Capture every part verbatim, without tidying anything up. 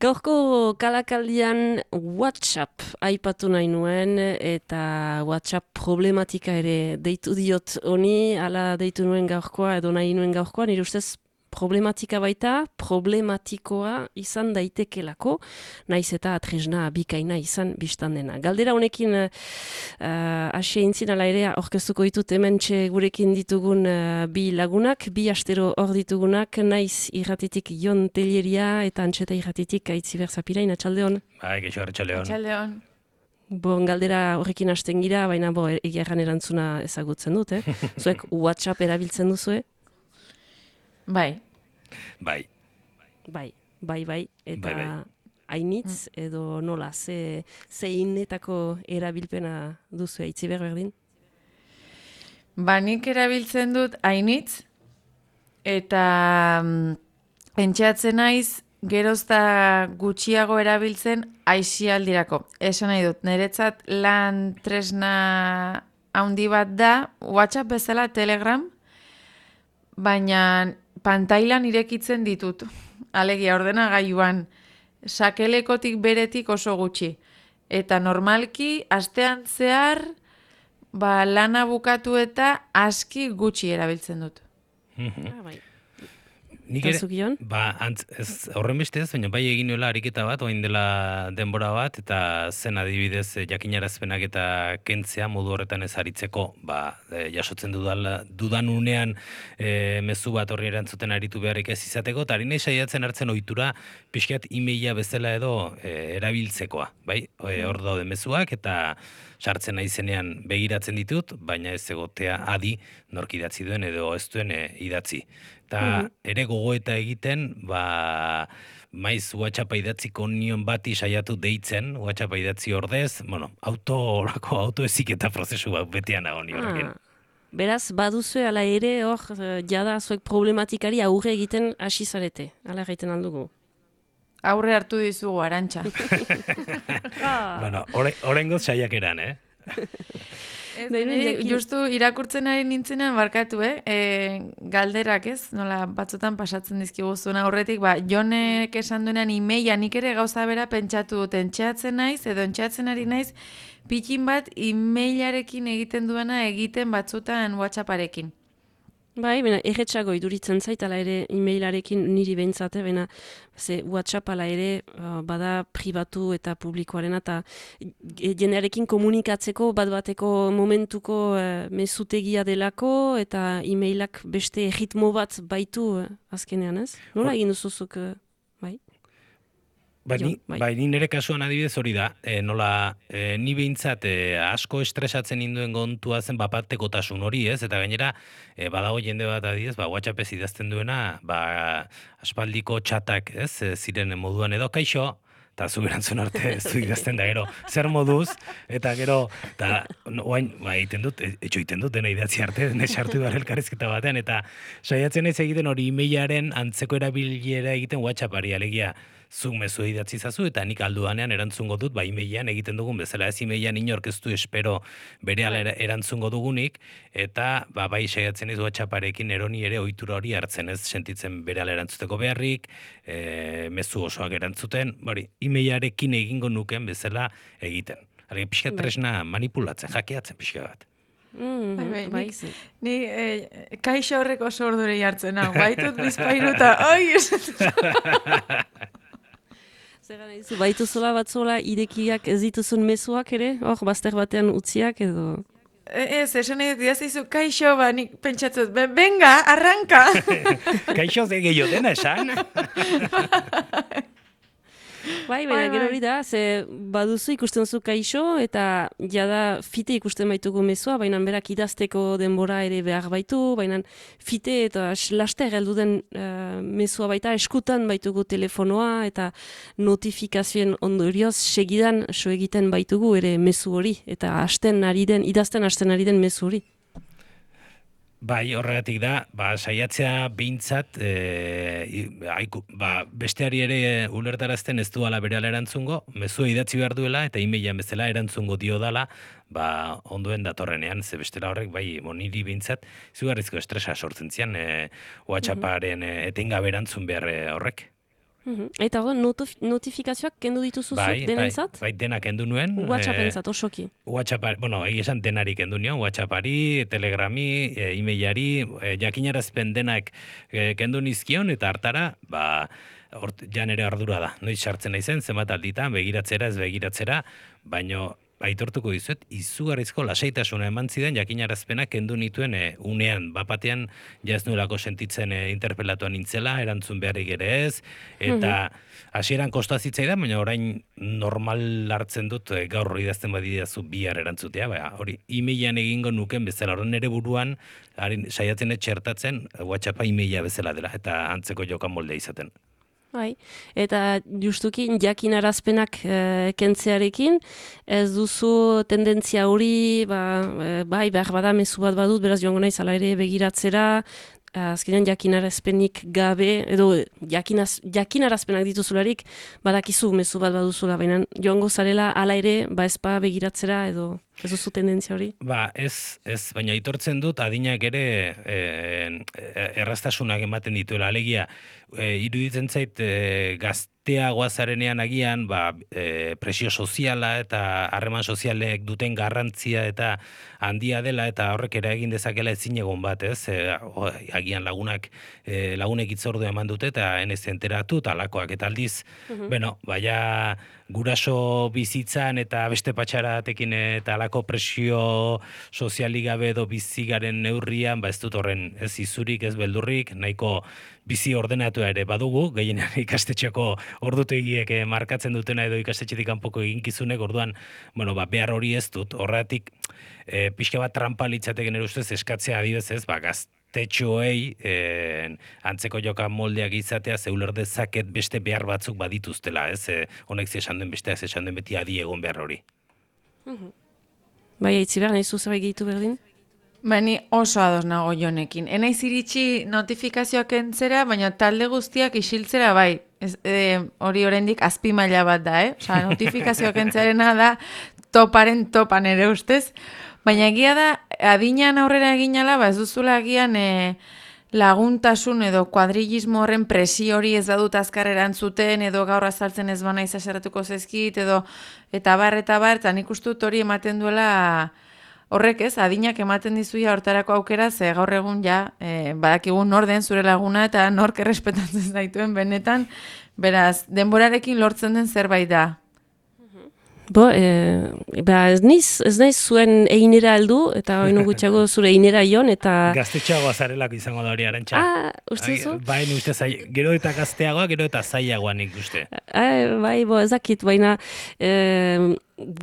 Gaurko kalakaldian WhatsApp aipatu nahi nuen eta WhatsApp problematika ere deitu diot honi, ala deitu nuen gaurkoa edo nahi nuen gaurkoa, nire ustez problematika baita, problematikoa izan daitekelako, naiz eta tresna bikaina izan biztan dena. Galdera honekin uh, asia intzin ala ere aurkeztuko ditut hementxe gurekin ditugun uh, bi lagunak, bi astero hor ditugunak, naiz irratitik Jon Telleria eta Antxeta irratitik Aitziber Zapirain, atxaldeon. Bai, geixo, atxaldeon. Atxaldeon. Bon, galdera horrekin hasten gira, baina bo, egia erran erantzuna ezagutzen dut, eh? Zuek WhatsApp erabiltzen duzue? Bai. Bai. Bai, bai, bai. Eta Bai, bai. hainitz edo nola, ze, ze innetako erabilpena duzu Aitziber berdin? Ba, nik erabiltzen dut hainitz, eta mm, entxeatzen naiz, gerozta gutxiago erabiltzen aisialdirako. Esan nahi dut, niretzat lan tresna handi bat da, WhatsApp bezala Telegram, baina pantailan irekitzen ditut. Alegia, ordenagailuan, sakelekotik beretik oso gutxi. Eta normalki, astean zehar, ba, lana bukatu eta aski gutxi erabiltzen dut. Ah, bai. Nik Eta zuk, Jon? ba, antz, ez, horren beste ez, baina bai egin nuela ariketa bat, oain dela denbora bat, eta zen adibidez eh, jakinarazpenak eta kentzea modu horretan ez aritzeko, ba, eh, jasotzen dudala, dudan unean eh, mezu bat horri erantzuten aritu beharrik ez izateko, eta harinei saiatzen hartzen ohitura pixkat e-maila bezala edo eh, erabiltzekoa, bai? Eh, hor daude mezuak, eta sartzen naizenean begiratzen ditut, baina ez egotea adi nork idatzi duen edo ez duen eh, idatzi. Eta ere gogoeta egiten, ba, maiz WhatsAppa idatziko nion bati saiatu deitzen, WhatsAppa idatzi ordez, bueno, auto orako autoeziketa prozesu bat betean nago ni horrekin. Ah, beraz, baduzue ala ere hor, eh, jada zuek problematikari aurre egiten hasi zarete, ala egiten aldugu. Aurre hartu dizugu, Arantxa. Bueno, oraingoz saiakeran, eh? Ez, Nahi nuen niri jakin- justu irakurtzen ari nintzenean barkatu, eh? E, galderak ez, nola batzutan pasatzen dizkigu zuen aurretik, ba, Jonek esan duenean e-maila, nik ere gauza bera pentsatu dut, entxeatzen naiz, edo entxeatzen ari naiz, pikin bat e-mailarekin egiten duena egiten batzutan WhatsApparekin. Bai, bena, erretxago iduritzen zait, ala ere e-mailarekin niri behintzate, bena, ze WhatsApp ala ere uh, bada pribatu eta publikoarena, eta e, jendearekin komunikatzeko bat bateko momentuko uh, mezutegia delako, eta e-mailak beste ritmo bat baitu uh, azkenean, ez? Nola egin duzuzuk, uh, bai? Ba, Jo, ni, bai. bai, ni nire kasuan adibidez hori da, e, nola, e, ni behintzat e, asko estresatzen induen kontua zen bapatekotasun hori, ez? Eta gainera, e, badago jende bat adibidez, ba, WhatsAppez idazten duena, ba, aspaldiko txatak, ez? E, ziren moduan edo, kaixo, eta zu erantzun arte ez du idazten da, gero, zer moduz, eta gero, eta no, oain, ba, egiten dut, e, etxo egiten dut, dena idatzi arte, dena sartu behar elkarrizketa batean, eta saiatzen ez egiten hori e-mailaren antzeko erabilera egiten WhatsAppari, alegia, zuk mezu idatzi zazu, eta nik alduanean erantzungo dut, ba, e-mailean egiten dugun bezala, ez e-mailean inork ez du espero berehala era- erantzungo dugunik, eta ba, bai saiatzen ez WhatsApparekin eroni ere ohitura hori hartzen, ez sentitzen berehala erantzuteko beharrik, e, mezu osoak erantzuten, bari, e-mailarekin egingo nuken bezala egiten. Hale, pixka Bai. tresna manipulatzen, jakeatzen pixka bat. Mm, Bai, bai, bai, nik- ze- Ni eh, kaixo horrek oso ordure jartzen hau, baitut bizpairuta, oi, esatzen. Zer gana dizu, baitu zola bat zola irekiak ez dituzun mezuak ere, hor, bazter batean utziak edo... Ez, esan nahi dut, idazizu, kaixo, ba, nik pentsatzut, "Be- venga, arranka! Kaixo ze gehiago dena esan? Bai, Bai, baina gero bai. hori da, ze baduzu ikusten zu kaixo, eta jada fite ikusten baitugu mezua, baina berak idazteko denbora ere behar baitu, baina fite eta s- laster heldu den uh, mezua baita, eskutan baitugu telefonoa, eta notifikazioen ondorioz segidan so egiten baitugu ere mezu hori, eta hasten ari den, idazten hasten ari den mezu hori. Bai, horregatik da, ba, saiatzea behintzat, e, i- aiku, ba, besteari ere ulertarazten ez duala berehala erantzungo, mezua idatzi behar duela, eta e-mailan bezala erantzungo dio dala, ba, ondoen datorrenean, ze bestela horrek, bai, moniri behintzat, izugarrizko estresa sortzen zian, e, WhatsApparen e, etengabe erantzun behar e, horrek. Mhm. Eta hor, notifikazioak kendu dituzu Bai, zuk bai, denentzat? bai, denak kendu nuen. WhatsAppentzat, osoki. WhatsApp, bueno, egia esan denari kendu nion, WhatsAppari, Telegrami, e, emailari, e, jakinarazpen denak e, kendu nizkion, eta hartara, ba, hort, ja nere ardura da. Noiz sartzen naizen, zenbat alditan, begiratzera, ez begiratzera, baino aitortuko dizuet, izugarrizko lasaitasuna eman zidan jakinarazpenak kendu nituen e, unean, bapatean ja ez nuelako sentitzen e, interpelatuan nintzela, erantzun beharrik ere ez, eta hasieran kosta zitzaidan, baina orain normal hartzen dut e, gaur idazten badidazu bihar erantzutea, ba, hori e-mailean egingo nuken bezala, hori nere buruan harin, saiatzen etxertatzen WhatsAppa e-maila bezala dela, eta antzeko jokan moldea izaten. Bai, eta justuki jakinarazpenak e, kentzearekin, ez duzu tendentzia hori, ba, e, bai, behar bada mezu bat badut, beraz joango naiz ala ere begiratzera, azkenean jakinarazpenik gabe, edo jakinaz, jakinarazpenak dituzularik, badakizu mezu bat baduzula, baina joango zarela ala ere, ba ezpa begiratzera, edo ez duzu tendentzia hori? Ba, ez, ez, baina aitortzen dut adinak ere e, erraztasunak ematen dituela, alegia, e, iruditzen zait e, gazteagoa zarenean agian, ba, e, presio soziala eta harreman sozialek duten garrantzia eta handia dela, eta horrek ere egin dezakela ezin egon bat, ez? E, o, agian lagunak, e, lagunek itzordu eman dute eta enez enteratu, talakoak eta aldiz, uh-huh. bueno, baina guraso bizitzan eta beste patxaratekin eta alako presio sozialik gabe edo bizigaren neurrian, ba ez dut horren ez izurik, ez beldurrik, nahiko bizi ordenatua ere badugu, gehienean ikastetxeko ordutegiek markatzen dutena edo ikastetxetik kanpoko eginkizunek, orduan, bueno, ba, behar hori ez dut, horretik e, pixka bat trampa litzateken ere ustez eskatzea adibez ez, ba, gaztetxoei e, antzeko joka moldeak izatea zeuler dezaket beste behar batzuk badituztela, ez, e, honek zesan duen besteak zesan duen beti adi egon behar hori. Mhm. Bai, aitzi behar, nahi zuzabek gehitu berdin? Bani oso ados nago Jonekin. Enaiz iritsi notifikazioak entzera, baina talde guztiak isiltzera bai. Ez, e, hori oraindik azpi maila bat da, eh? Osa, notifikazioak entzarena da toparen topan ere ustez. Baina egia da, adinean aurrera eginala, ba ez duzula agian e, laguntasun edo kuadrilismo horren presio hori ez badut azkar erantzuten, edo gaur azaltzen ez bana izaseratuko zezkit, edo eta bar, eta bar, eta nik uste dut hori ematen duela horrek ez, adinak ematen dizuia hortarako aukera, ze gaur egun ja, e, badakigun nor den zure laguna eta nork errespetatzen zaituen benetan, beraz, denborarekin lortzen den zerbait da. Bo, e, ba, ez niz, ez naiz zuen einera aldu, eta oinu gutxago zure einera ion, eta... Gaztetxeagoa zarelako izango da hori Arantxa. Ah, uste zu? Bai, uste zai, gero eta gazteagoa, gero eta zailagoa nik uste. Ah, bai, bo, ezakit, baina... E,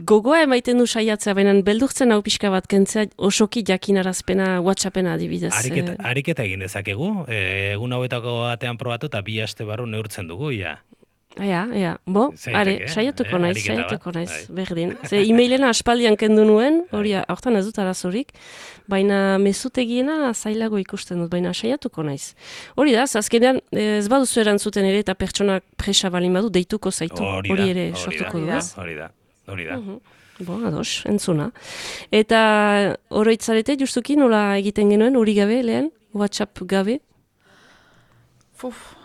gogoa emaiten du saiatzea, baina beldurtzen hau pixka bat kentzea osoki jakinarazpena WhatsAppena adibidez. Ariketa, ariketa egin dezakegu, e, egun hauetako batean probatu eta bi aste barru neurtzen dugu, ja. Ja, ja, bo, Zaitek, are, eh? saiatuko eh? naiz, saiatuko naiz, berdin. Ze e-mailena aspaldian kendu nuen, hori hortan ez dut arazorik, baina mezutegiena zailago ikusten dut, baina saiatuko naiz. Hori da, azkenean ez baduzu erantzuten ere eta pertsonak presa balin badu deituko zaitu, hori, hori ere hori sortuko du, ez? Hori da, hori da. Uh-huh. Bo, ados, entzuna. Eta oroitzarete justuki nola egiten genuen, hori gabe lehen, WhatsApp gabe? Fuf.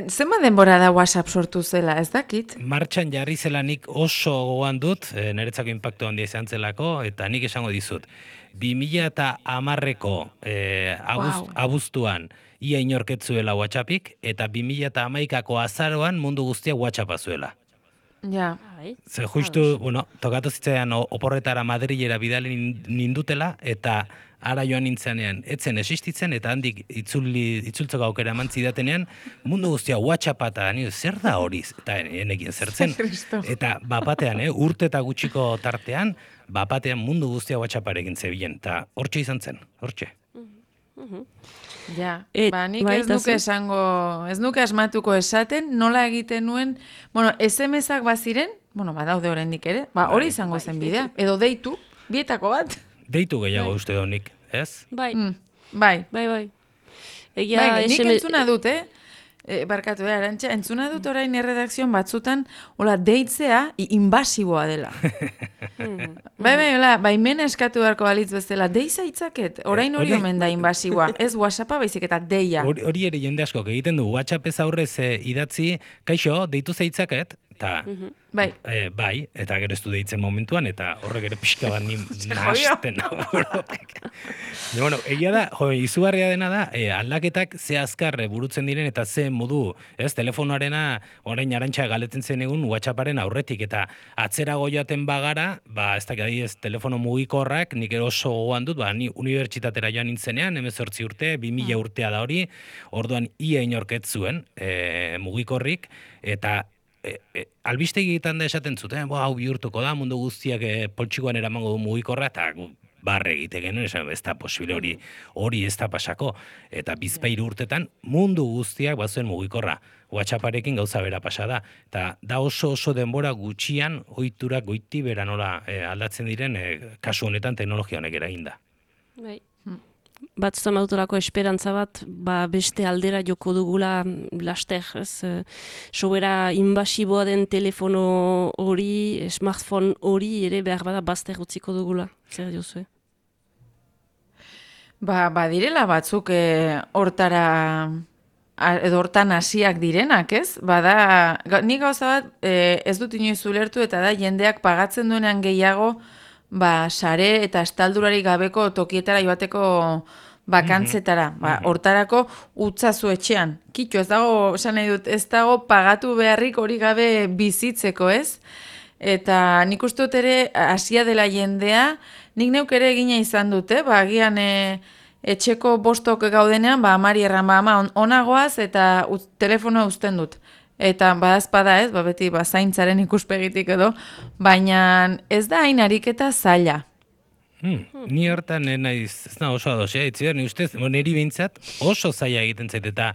Zenba denbora da WhatsApp sortu zela, ez dakit? Martxan jarri zelanik oso gogoan dut, e, niretzako inpaktu handia izan zelako, eta nik esango dizut. bi mila hamarreko e, abuz, wow. abuztuan ia inorketzuela WhatsAppik, eta bi mila hamaikako azaroan mundu guztia WhatsAppa zuela. Ja. Ze justu, bueno, tokatu zitzaidan oporretara Madrilera bidali nindutela, eta ara joan nintzenean, etzen existitzen, eta handik itzuli, itzultzeko aukera eman zidatenean, mundu guztia WhatsAppa eta nire, zer da hori? Eta enekin zertzen. Eta bapatean, eh, urte eta gutxiko tartean, bapatean mundu guztia WhatsApparekin zebilen. Eta hortxe izan zen, hortxe. Ja, Et, ba, nik ez nuke esango, ez nuke asmatuko esaten, nola egiten nuen, bueno, S M S-ak baziren, bueno, badaude oraindik ere, ba, hori izango zen bidea, edo deitu, bietako bat. Deitu gehiago bai. Uste donik, ez? Bai, mm, bai, bai, bai. Egia, bai, nik S M S... entzuna dut, eh? E, barkatu, eh, Arantxa, entzuna dut orain erredakzioan batzutan, hola, deitzea i- inbasiboa dela. bai, bai, hola, baimena eskatu beharko balitz bezala, deiza itzaket, orain hori hori- omen da inbasiboa, ez WhatsAppa baizik eta deia. Hori, hori ere jende askok egiten du, WhatsApp ez aurrez eh, idatzi, kaixo, deitu zeitzaket, eta Bai, E, bai, eta gero ez du deitzen momentuan, eta horrek ere pixka bat ni nahasten. Ja, bueno, egia da, jo, izugarria dena da, e, aldaketak ze azkar e, burutzen diren, eta ze modu, ez, telefonoarena, orain Arantxa galetzen zen egun WhatsApparen aurretik, eta atzerago joaten bagara, ba, ez dakit adibidez, telefono mugikorrak, nik ero oso gogoan dut, ba, ni unibertsitatera joan nintzenean, hemezortzi urte, bi mila urtea da hori, orduan ia inorket zuen e, mugikorrik, eta E, e, albistegietan da esaten zuten, bo, hau bihurtuko da, mundu guztiak e, poltsikoan eramango du mugikorra, eta gu, barre egite genuen, esan, ez da posible hori, hori ez da pasako. Eta bizpairu urtetan mundu guztiak bazuen mugikorra. WhatsApparekin gauza bera pasa da. Eta da oso oso denbora gutxian ohiturak goiti bera nola e, aldatzen diren, e, kasu honetan teknologia honek eraginda. Bai. Batzutan badutelako esperantza bat, ba beste aldera joko dugula laster, ez? Eh, sobera inbasiboa den telefono hori, smartphone hori ere behar bada bazter utziko dugula. Zer diozue? ba, badirela batzuk e, hortara a- edo hortan hasiak direnak, ez? Bada, ga, nik gauza bat e, ez dut inoiz ulertu eta da jendeak pagatzen duenean gehiago ba, sare eta estaldurari gabeko tokietara joateko bakantzetara. Ba, hortarako utzazu etxean. Kitxo, ez dago, esan nahi dut, ez dago pagatu beharrik hori gabe bizitzeko, ez? Eta nik uste dut ere hasia dela jendea, nik neuk ere egina izan dute, ba, agian e, etxeko bostok gaudenean, ba, amari erran, ba, ama, on- onagoaz eta uz, telefonoa uzten dut. Eta badazpada ez, ba, beti ba, zaintzaren ikuspegitik edo, baina ez da hain ariketa zaila. Hmm. Ni hortan eh, naiz, ez da oso ados, eh? Itziber, ni ustez, bo, niri behintzat oso zaila egiten zait, eta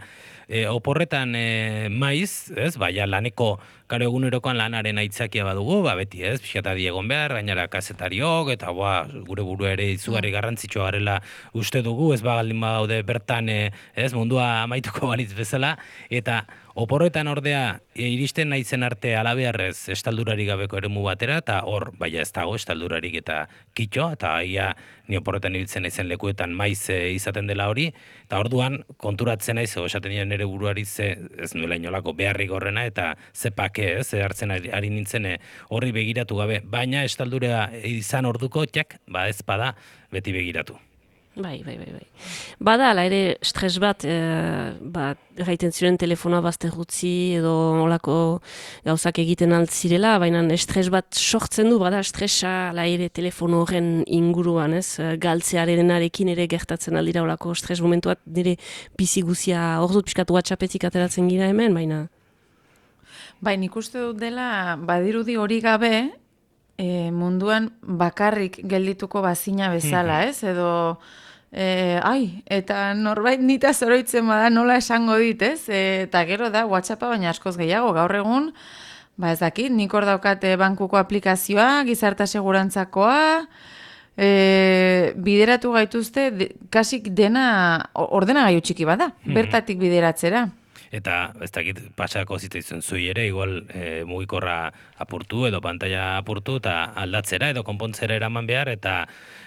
e, oporretan e, maiz, ez, baina laneko, karo egunerokoan lanaren aitzakia badugu, ba beti, ez, pixkatadi egon behar, gainara kazetariok, eta ba, gure buru ere izugarri garrantzitsua garela uste dugu, ez bagaldin bagaude bertan, e, ez, mundua amaituko balitz bezala, eta oporretan ordea e, iristen naizen arte alabearrez estaldurarik gabeko eremu batera, eta hor, baina ez dago estaldurarik eta kitxo, eta ia ni oporretan ibiltzen naizen lekuetan maiz e, izaten dela hori, eta orduan konturatzen naiz, o, esaten nien nire buruari ze, ez nuela inolako beharrik horrena, eta ze pake, ez, ze hartzen ari, ari nintzen e, horri begiratu gabe, baina estaldurea izan orduko, txak, ba ez bada, beti begiratu. Bai, bai, bai, bai. Bada, ala ere, stres bat, e, ba, gaiten ziren telefonoa bazter utzi edo olako gauzak egiten altzirela, baina estres bat sortzen du, bada, estresa, ala ere, telefono horren inguruan, ez? Galtzearenarekin ere gertatzen aldira olako stres momentuat, nire bizi guzia, hor dut pixkat WhatsAppetik ateratzen gira hemen, baina... Bai, nik uste dut dela, badirudi hori gabe, e, munduan bakarrik geldituko bazina bezala, ez? Edo, e, ai, eta norbait nita zoroitzen bada nola esango dit, ez? E, eta gero da, WhatsAppa baina askoz gehiago, gaur egun, ba ez dakit, nik hor daukate bankuko aplikazioa, gizarta segurantzakoa, e, bideratu gaituzte, de, kasik dena ordenagailu txiki bada, bertatik bideratzera. Eta ez dakit pasako zitzaizun zui ere, igual e, mugikorra apurtu edo pantalla apurtu eta aldatzera edo konpontzera eraman behar, eta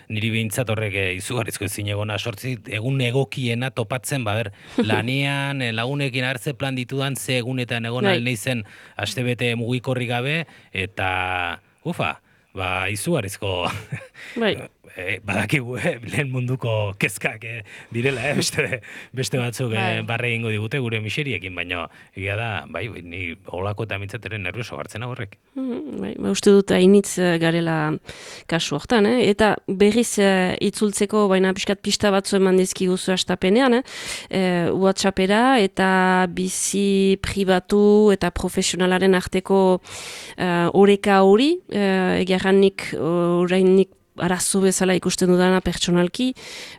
niri behintzat horrek e, izugarrizko ezin egona sortzi, egun egokiena topatzen, ba ber, lanean, e, lagunekin hartze plan ditudan, ze egunetan egon Bai. alneizen astebete mugikorri gabe, eta ufa, ba izugarrizko... Bai. E, badakigu, eh, lehen munduko kezkak eh, direla, eh, beste, beste batzuk eh, Bai. barre egingo digute gure miseriekin, baina egia da, bai, ni holako eta mintzateren nervioso hartzen horrek. Mhm, bai, ba, uste dut hainitz eh, garela kasu hortan, eh? Eta berriz eh, itzultzeko, baina pixkat pista batzu eman dizkiguzu astapenean, eh? Eh, WhatsAppera eta bizi pribatu eta profesionalaren arteko eh, oreka hori, eh, egiarranik orainik arazo bezala ikusten dudana pertsonalki,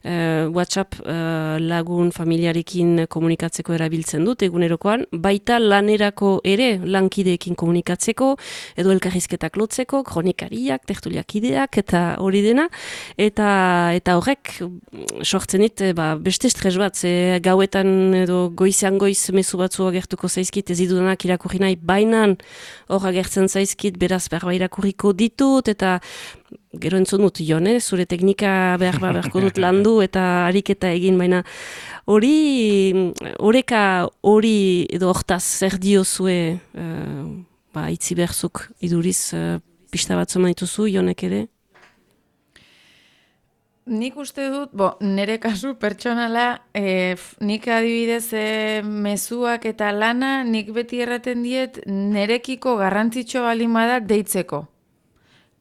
uh, WhatsApp uh, lagun familiarekin komunikatzeko erabiltzen dut egunerokoan, baita lanerako ere lankideekin komunikatzeko, edo elkarrizketak lotzeko, kronikariak, tertuliak ideak, eta hori dena, eta eta horrek sortzen dit, ba, beste estres bat, ze gauetan edo goizean goiz mezu batzu agertuko zaizkit, ez idudanak irakurri nahi, bainan hor agertzen zaizkit, beraz berba irakurriko ditut, eta gero entzun dut, Jone, zure teknika behar beharko dut landu eta ariketa egin, baina hori, horeka hori edo hortaz zer diozue, uh, ba, itzi berzuk iduriz uh, pista batzu maituzu, Jonek ere? Nik uste dut, bo, nire kasu pertsonala, e, nik adibidez e, mezuak eta lana, nik beti erraten diet, nirekiko garrantzitsua balin bada deitzeko.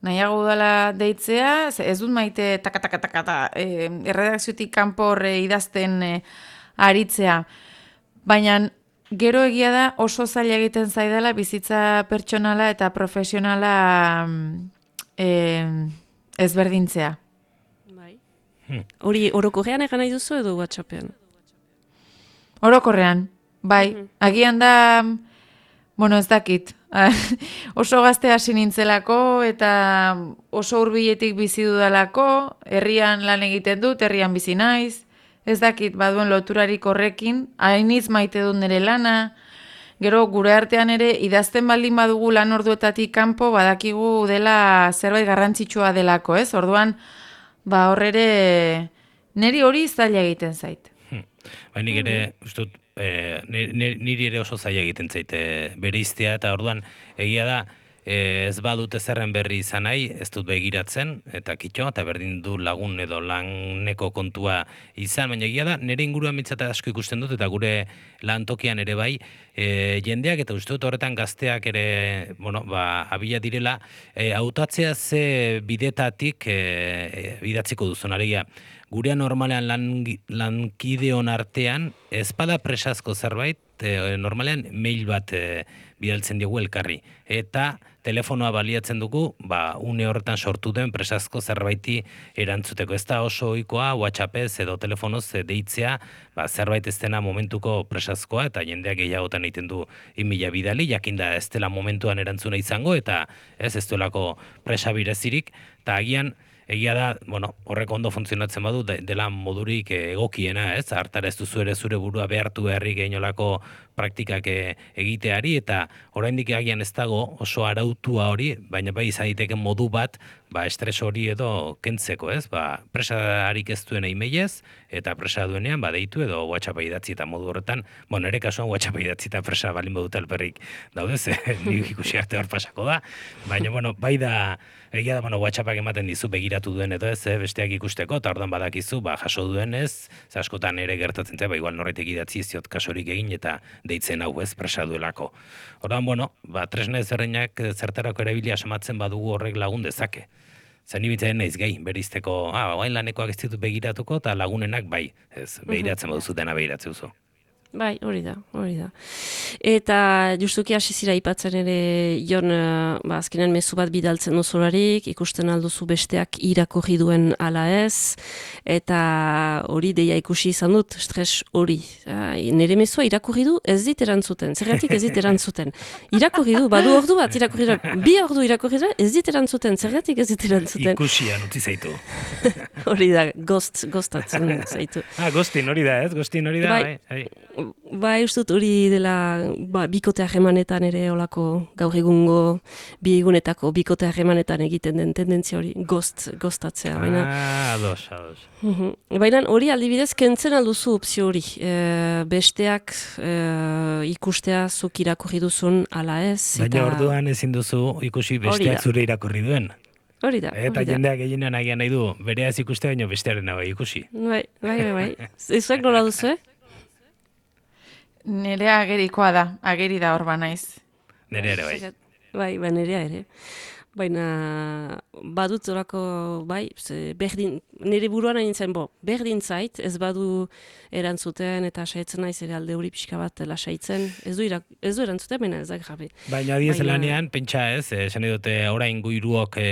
Nahiago dela deitzea, ez dut maite taka-taka-taka e, erredakziotik kanpo horre idazten e, aritzea. Baina gero egia da oso zaila egiten zaidala bizitza pertsonala eta profesionala e, ezberdintzea. Hori orokorrean egan nahi duzu edo WhatsAppean? Orokorrean, bai. Mm-hmm. Agian da, bueno, ez dakit, oso gazte hasi nintzelako eta oso hurbiletik bizi dudalako, herrian lan egiten dut, herrian bizi naiz, ez dakit, baduen loturarik horrekin, hainiz maite dut nire lana, gero gure artean ere idazten baldin badugu lan orduetatik kanpo badakigu dela zerbait garrantzitsua delako, ez? Orduan, ba horrere niri hori zaila egiten zait. Hmm. Ba, nik ere, ustut, e, niri ere oso zaila egiten zait e, bereiztea, eta orduan egia da, e, ez badut ezerren berri izan nahi, ez dut begiratzen, eta kitxo, eta berdin du lagun edo laneko kontua izan, baina egia da, nire inguruan mitzata asko ikusten dut, eta gure lantokian ere bai, e, jendeak, eta uste dut horretan gazteak ere, bueno, ba, abila direla, e, hautatzea ze bidetatik e, e, bidatziko duzun, alegia, gurean normalean lan, lankideon artean, ezpada presazko zerbait, e, normalean mail bat e, bidaltzen diogu elkarri. Eta telefonoa baliatzen dugu, ba, une horretan sortu den presazko zerbaiti erantzuteko. Ez da oso ohikoa WhatsAppez edo telefonoz deitzea, ba, zerbait ez dena momentuko presazkoa, eta jendeak gehiagotan egiten du imila bidali, jakinda ez dela momentuan erantzuna izango, eta ez ez duelako presa birezirik, eta agian, egia da, bueno, horrek ondo funtzionatzen badu, de, dela modurik egokiena, ez? Hartara ez duzu ere zure burua behartu beharrik geinolako praktikak egiteari, eta oraindik agian ez dago oso arautua hori, baina bai izan daiteke modu bat, ba, estres hori edo kentzeko, ez? Ba, presarik ez duena emailez, eta presa duenean, ba, deitu edo WhatsAppa idatzi, eta modu horretan, bueno, ere kasuan WhatsAppa idatzi eta presa balin badut alperrik daude, ze nik ikusi arte hor pasako da, baina, bueno, bai da, egia da, bueno, WhatsAppak ematen dizu begiratu duen edo ez, eh, besteak ikusteko, eta ordan badakizu, ba, jaso duen ez, ze askotan ere gertatzen zen, ba, igual norretik idatzi ziot kasorik egin eta deitzen hau ez, presa duelako. Ordan, bueno, ba, tresna ezberdinak zertarako erabilia asmatzen badugu horrek lagun dezake. Zer nibitzen naiz gai, berizteko, ah, guain lanekoak ez ditut begiratuko, eta lagunenak bai, ez, begiratzen baduzu dena begiratzen duzu. Bai, hori da, hori da. Eta justuki hasi zira ipatzen ere, Jon, ba, azkenean mezu bat bidaltzen duzularik, ikusten alduzu besteak irakurri duen ala ez, eta hori deia ikusi izan dut, stres hori. Nire mezua irakurri du, ez dit erantzuten, zergatik ez dit erantzuten. Irakurri du, badu ordu bat irakurri du, bi ordu irakurri du, ez dit erantzuten, zergatik ez dit erantzuten. Ikusian utzi zaitu. Hori da, gost, gostatzen zaitu. Ah, gostin hori da, ez? Gostin hori da, bai. bai. Bai, ustut hori dela ba, bikote harremanetan ere olako gaur egungo bi egunetako bikote harremanetan egiten den tendentzia hori gost, gostatzea. Baina, ah, ados, ados. Uh-huh. Baina hori aldibidez kentzen alduzu opzio hori. E, besteak e, ikustea zuk irakurri duzun ala ez. Baina eta... orduan ezin duzu ikusi besteak zure irakurri duen. Hori da. Eta jendeak gehienan agian nahi du, bereaz ikustea baino bestearen bai ikusi. Bai, bai, bai. bai. Ezuek nola duzu, eh? Nere agerikoa da, ageri da hor ba naiz. Nere ere bai. Bai, ba nerea ere. Baina badut orako, bai, ze berdin, nire buruan hain zen, bo, berdin zait, ez badu erantzuten eta saiatzen naiz ere alde hori pixka bat lasaitzen, ez du, irak, ez du erantzuten, baina ez da grabe. Baina adiez lanean, pentsa ez, esan dute orain guiruok e,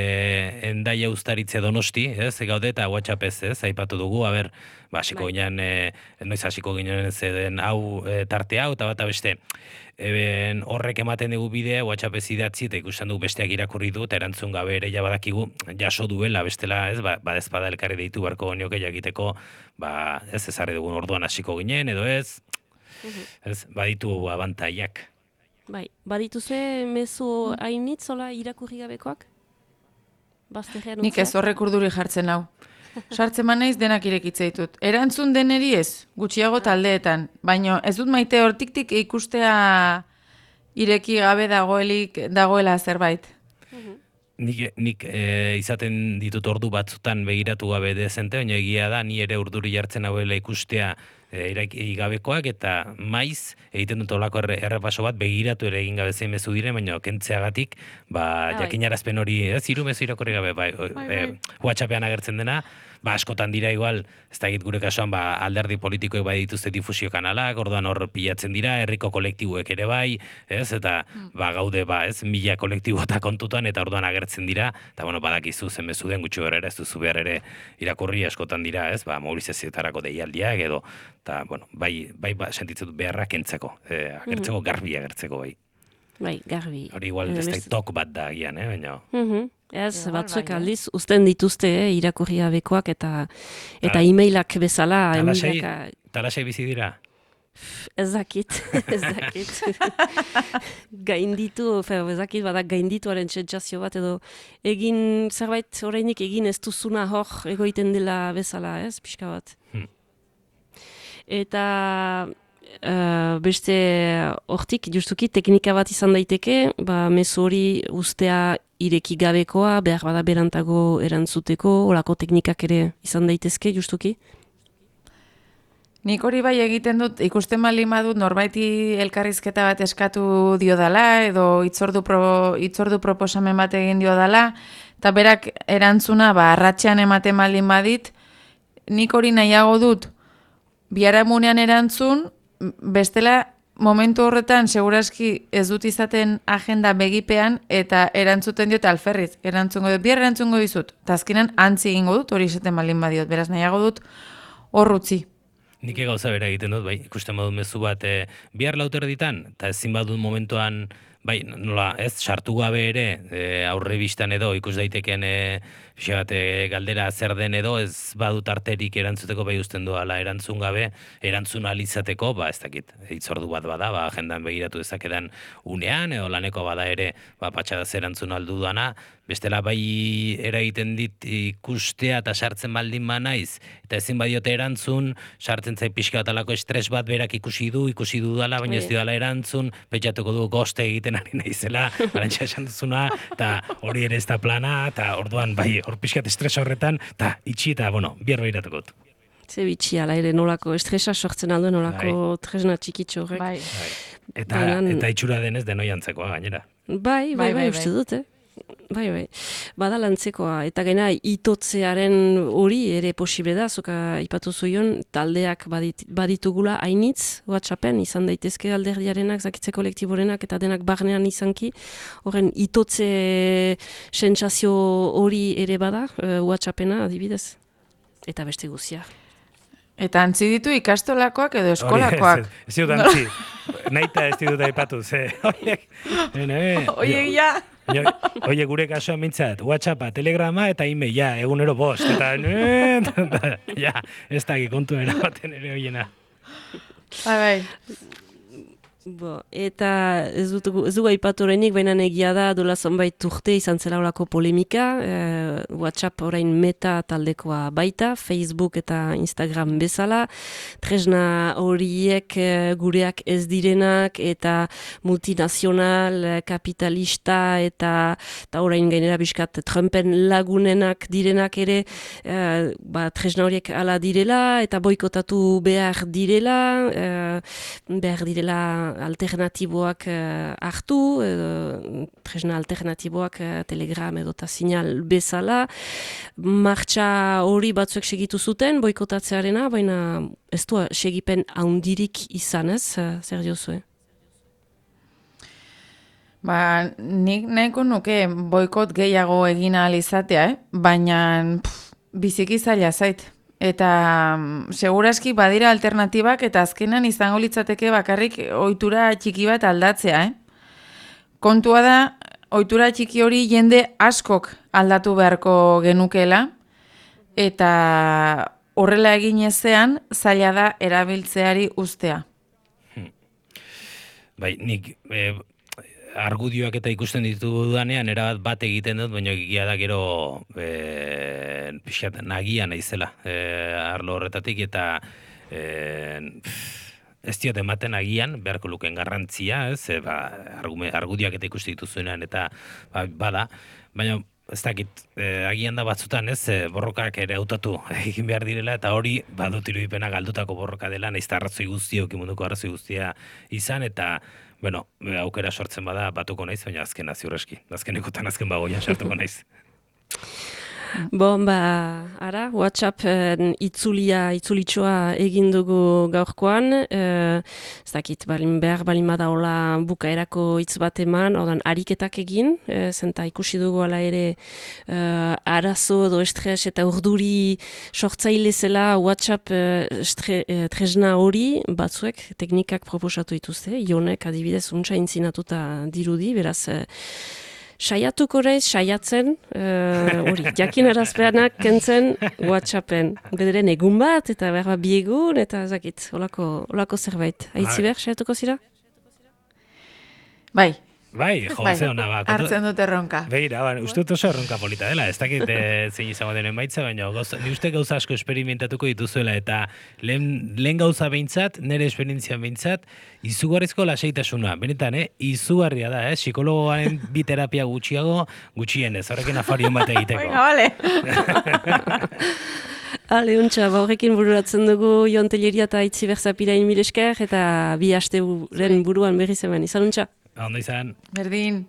endaia ustaritze Donosti, ez, gaude eta WhatsApp ez, ez, aipatu dugu, aber, ba, hasiko ginen, e, noiz hasiko ginen zeden hau e, tarte hau, eta bat beste, eben horrek ematen dugu bidea, WhatsApp ez idatzi, eta ikusten dugu besteak irakurri du, eta erantzun gabe ere ja badakigu, jaso duela, bestela, ez, ba, badezpada elkarri deitu barko nioke jakiteko, ba, ez, ezarri dugun orduan hasiko ginen, edo ez, ez, baditu abantaiak. Bai, badituzue mezu hainitz, zola irakurri gabekoak? Bazterrean Nik ez horrek urduri jartzen hau. Sartzen manaiz denak irekitze ditut. Erantzun deneri ez, gutxiago taldeetan, baina ez dut maite hortiktik ikustea ireki gabe dagoelik dagoela zerbait. Nik, nik e, izaten ditut ordu batzutan begiratu gabe dezente, baina egia da, ni ere urduri jartzen hauela ikustea e, ireki gabekoak, eta maiz egiten dut olako erre, errepaso bat begiratu ere egin gabe zein mezu dire, baina kentzeagatik, ba, jakinarazpen hori, ez, hiru mezu irakurri gabe, bai, bai, bai. E, WhatsAppean agertzen dena, ba, askotan dira igual, ez da gure kasuan, ba, alderdi politikoek bai dituzte difusio kanalak, orduan hor pilatzen dira, herriko kolektibuek ere bai, ez, eta ba, gaude, ba, ez, mila kolektibota kontutan, eta orduan agertzen dira, eta bueno, badakizu zen mezu den gutxi gara ere, ez duzu behar ere irakurri askotan dira, ez, ba, mobilizazioetarako deialdiak edo, eta, bueno, bai, bai, ba, sentitzen dut beharra kentzeko, e, agertzeko, garbi agertzeko, bai. Bai, garbi. Hori igual, ez da tok bat da agian, eh, baina... Mhm. Ez, Igual, batzuek bai, aldiz, uzten dituzte, eh, irakurri gabekoak eta eta e-mailak bezala. Talasei, emilaka- talasei bizi dira? Ez dakit, ez dakit. Gainditu, fe, ez dakit, badak gaindituaren sentsazio bat, edo egin, zerbait orainik egin ez duzuna hor egoiten dela bezala, ez, pixka bat. Hmm. Eta uh, beste hortik, justuki, teknika bat izan daiteke, ba, mezu hori ustea ireki gabekoa, behar bada berantago erantzuteko, olako teknikak ere izan daitezke, justuki? Nik hori bai egiten dut, ikusten baldin badut norbaiti elkarrizketa bat eskatu diodala, edo itzordu, pro, itzordu proposamen bat egin diodala, eta berak erantzuna, ba, arratsean ematen baldin badit, nik hori nahiago dut, biharamunean erantzun, bestela, momentu horretan, segurazki ez dut izaten agenda begipean, eta erantzuten diot alferriz, erantzungo dut, bihar erantzungo dizut, eta azkenan antzi egingo dut, hori izaten baldin badiot, beraz nahiago dut hor utzi. Nik gauza bera egiten dut, bai, ikusten badut mezu bat, e, bihar lauter ditan, eta ezin badut momentuan, bai, nola, ez, sartu gabe ere, e, aurre bistan edo, ikus daiteken, e, bat, e, galdera zer den edo, ez badut arterik erantzuteko bai usten doala erantzun gabe, erantzun alizateko, ba, ez dakit, hitzordu bat bada, ba, agendan begiratu dezakedan unean, edo laneko bada ere, ba, patxadaz erantzun aldu dana, bestela bai eragiten dit ikustea eta sartzen baldin ba naiz, eta ezin badiote erantzun, sartzen zait pixka bat alako estres bat berak ikusi du, ikusi du dala, baina ez dudala erantzun, pentsatuko du goste egiten ari naizela, arantxa esan duzuna, eta hori ere ez da plana, eta orduan bai, hor pixkat estres horretan, eta itxi eta, bueno, bihar behiratuko dut. Ze bitxi, ala ere nolako estresa sortzen aldo, nolako bai. Tresna txikitxo horrek. Bai. Bai. Eta, Bainan... eta itxura denez denoiantzekoa gainera. Bai, bai, bai, bai, uste dut, eh? Bai, bai, bada lantzekoa, eta gaina itotzearen hori ere posible da, zoka ipatu zuion, taldeak badit, baditugula hainitz, WhatsAppen, izan daitezke alderdiarenak, zakitze kolektiborenak, eta denak barnean izanki, horren itotze sentsazio hori ere bada, uh, WhatsAppena adibidez, eta beste guzia. Eta antzi ditu ikastolakoak edo eskolakoak. Ez dut antzi, naita ez dut aipatu, ze, oiek, Oiek ja... Oie, gure kasuan mintzat, WhatsAppa, Telegrama eta e-mail, ja, egunero bost, eta, ja, ez da kontu erabaten ere hoiena. Bai, bai. Bo, eta ez dugu ez dugu aipatu oraindik, baina egia da dola zonbait urte izan zela horako polemika, eh, WhatsApp orain Meta taldekoa baita, Facebook eta Instagram bezala, tresna horiek eh, gureak ez direnak eta multinazional, eh, kapitalista eta, eta orain gainera biskat Trumpen lagunenak direnak ere, eh, ba, tresna horiek ala direla eta boikotatu behar direla, eh, behar direla alternatiboak uh, hartu, uh, tresna alternatiboak, uh, Telegram edo eta sinal bezala. Martxa hori batzuek segitu zuten, boikotatzearena, baina ez du segipen haundirik izan ez, uh, zer diozue? Ba, nik nahiko nuke boikot gehiago egin ahal izatea, eh? Baina pff, biziki zaila zait. Eta mm, seguraski badira alternatibak eta azkenan izango litzateke bakarrik ohitura txiki bat aldatzea, eh? Kontua da, ohitura txiki hori jende askok aldatu beharko genukela, eta horrela egin ezean zaila da erabiltzeari ustea. Bai, nik e, argudioak eta ikusten ditudanean erabat bat egiten dut, baina egia da gero e, pixat nagia naizela e, arlo horretatik, eta e, ez diot ematen agian beharko luken garrantzia, ez, e, ba, argume, argudioak eta ikusten dituzuenean, eta ba, bada, baina ez dakit, e, agian da batzutan, ez, e, borrokak ere hautatu egin behar direla, eta hori badut irudipena galdutako borroka dela, nahiz arrazoi guztiok, munduko arrazoi guztia izan, eta bueno, aukera sortzen bada batuko naiz, baina azkena ziurreski. Azkenekotan azken bagoian sartuko naiz. Bon, ba, ara, WhatsApp eh, itzulia, itzulitxoa egin dugu gaurkoan, eh, ez dakit, balin behar, balin badaola bukaerako hitz bat eman, ordan ariketak egin, eh, zenta ikusi dugu ala ere eh, arazo edo estres eta urduri sortzaile zela WhatsApp eh, estre, eh, tresna hori, batzuek teknikak proposatu dituzte, Jonek adibidez untsa intzinatuta dirudi, beraz, eh, saiatuko reiz, saiatzen, hori, uh, jakin arazpeanak kentzen WhatsAppen. Bederen egun bat, eta behar bat biegun, eta zakit, olako, olako zerbait. Aitzi behar, saiatuko zira? Bai. Bai, jo, bai. ze hona bat. Hartzen dute erronka. Begira, ba, uste dut oso erronka polita dela. Ez dakit e, zein izango denen baitza, baina gauza, ni uste gauza asko esperimentatuko dituzuela, eta lehen, lehen gauza behintzat, nire esperientzia behintzat, izugarrizko lasaitasuna. Benetan, eh? Izugarria da, eh? Psikologoaren bi terapia gutxiago, gutxienez, horrekin afarion bat egiteko. Venga, vale. Ale, untxa, ba horrekin bururatzen dugu Jon Telleria eta Itzi Berzapirain mil esker, eta bi aste buren buruan berriz hemen. Izan untxa? Ondo izan. Berdin.